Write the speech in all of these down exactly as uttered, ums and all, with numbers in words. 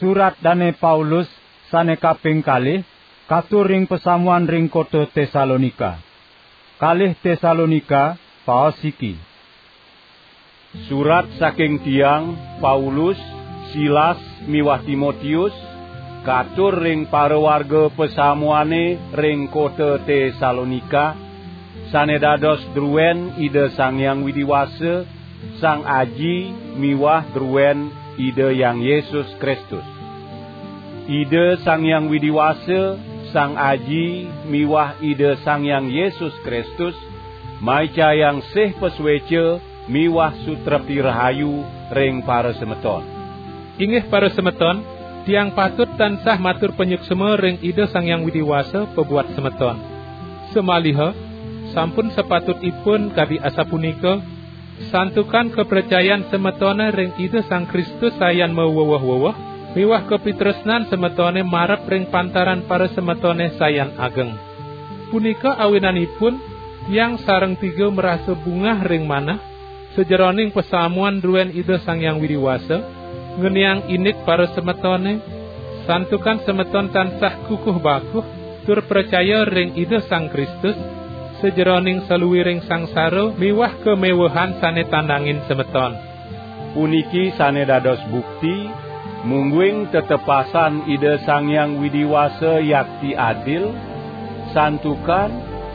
Surat Dane Paulus sane kaping kalih, katur ring pasamuan ring kota Tesalonika. Kalih Tesalonika, paos siki. Surat saking tiang, Paulus, Silas, miwah Timotius, katur ring parawarga pasamuane ring kota Tesalonika, sane dados druen Ida Sang Hyang Widi Wasa, Sang Aji miwah druen Ida Hyang Yesus Kristus. Ida Sang Hyang Widi Wasa, Sang Aji miwah Ida Sang Hyang Yesus Kristus maicayang sih pasueca miwah sutrepti rahayu ring parasemeton. Inggih parasemeton, tiang patut tansah matur panyuksma ring Ida Sang Hyang Widi Wasa pabuat semeton. Samaliha, sampun sapatutipun kadi asapunika, santukan kapracayan semetone ring Ida Sang Kristus sayan maweweh-weweh, miwah kapitresnan semetone marep ring pantaran parasemetone sayan ageng. Punika awinanipun, tiang sareng tiga marasa bungah ring manah, sajeroning pasamuan druen Ida Sang Hyang Widi Wasa, ngeniang indik parasemetone, santukan semeton tansah kukuh bakuh, tur pracaya ring Ida Sang Kristus, sajeroning saluiring sangsara miwah kamewehan sane tandangin semeton. Puniki sane dados bukti, mungguing tetepasan Ida Sang Hyang Widi Wasa yakti adil, santukan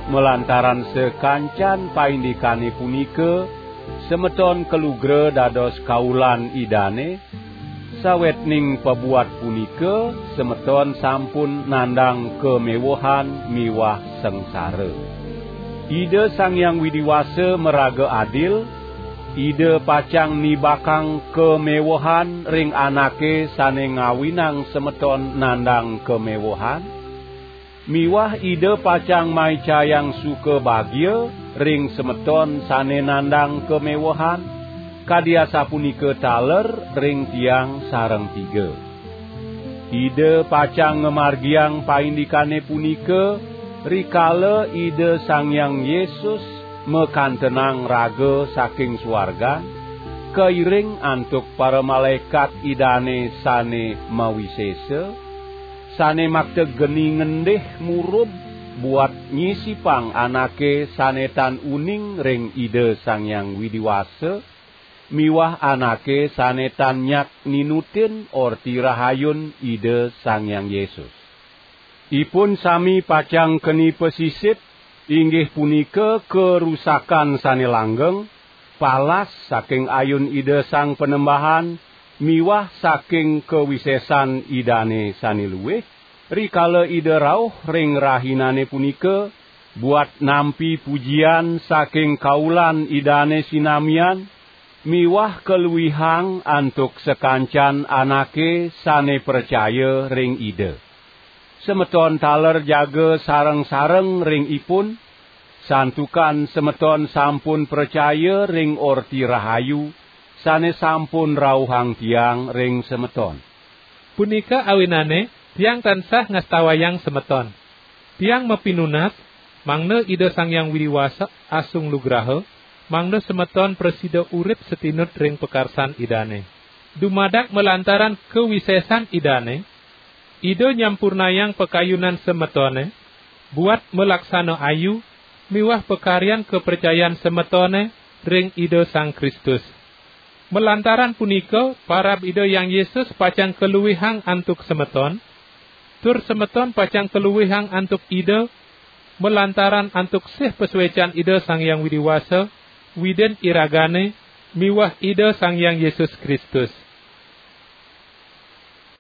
malantaran sakancan paindikane punika, semeton kalugra dados kaulan Idane, sawetning pabuat punika semeton sampun nandang kamewehan miwah sangsara. Ida Sang Hyang Widi Wasa maraga adil, Ida pacang nibakang kamewehan ring anake sane ngawinang semeton nandang kamewehan, miwah Ida pacang maicayang suka bagia ring semeton sane nandang kamewehan, kadi asapunika taler ring tiang sareng tiga. Ida pacang ngamargiang paindikane punika, rikala Ida Sang Hyang Yesus makantenang raga saking suargan, kairing antuk paramalaekat Idane sane mawisesa, sane makta geni ngendih murub buat nyisipang anake sane tan uning ring Ida Sang Hyang Widi Wasa, miwah anake sane tan nyak ninutin Orti Rahayun Ida Sang Hyang Yesus. Ipun sami pacang keni pasisip, inggih punika karusakan sane langgeng, palas saking ayun Ida Sang Panembahan, miwah saking kawisesan Idane sane luih, rikala Ida rauh ring rahinane punika, buat nampi pujian saking kaulan Idane sinamian, miwah kaluihang antuk sakancan anake sane pracaya ring Ida. Semeton taler jaga sareng-sareng ring ipun, santukan semeton sampun pracaya ring Orti Rahayu sane sampun rauhang tiang ring semeton. Punika awinane tiang tansah ngastawayang semeton. Tiang mapinunas, mangda Ida Sang Hyang Widi Wasa asung lugraha, mangda semeton prasida urip satinut ring pakarsan Idane. Dumadak malantaran kawisesan Idane, Ida nyampurnayang pakayunan semetone, buat malaksana ayu, miwah pakaryan kapracayan semetone ring Ida Sang Kristus. Malantaran punika, parab Ida Hyang Yesus pacang kaluihang antuk semeton, tur semeton pacang kaluihang antuk Ida, malantaran antuk sih pasuecan Ida Sang Hyang Widi Wasa, Widin iragane, miwah Ida Sang Hyang Yesus Kristus.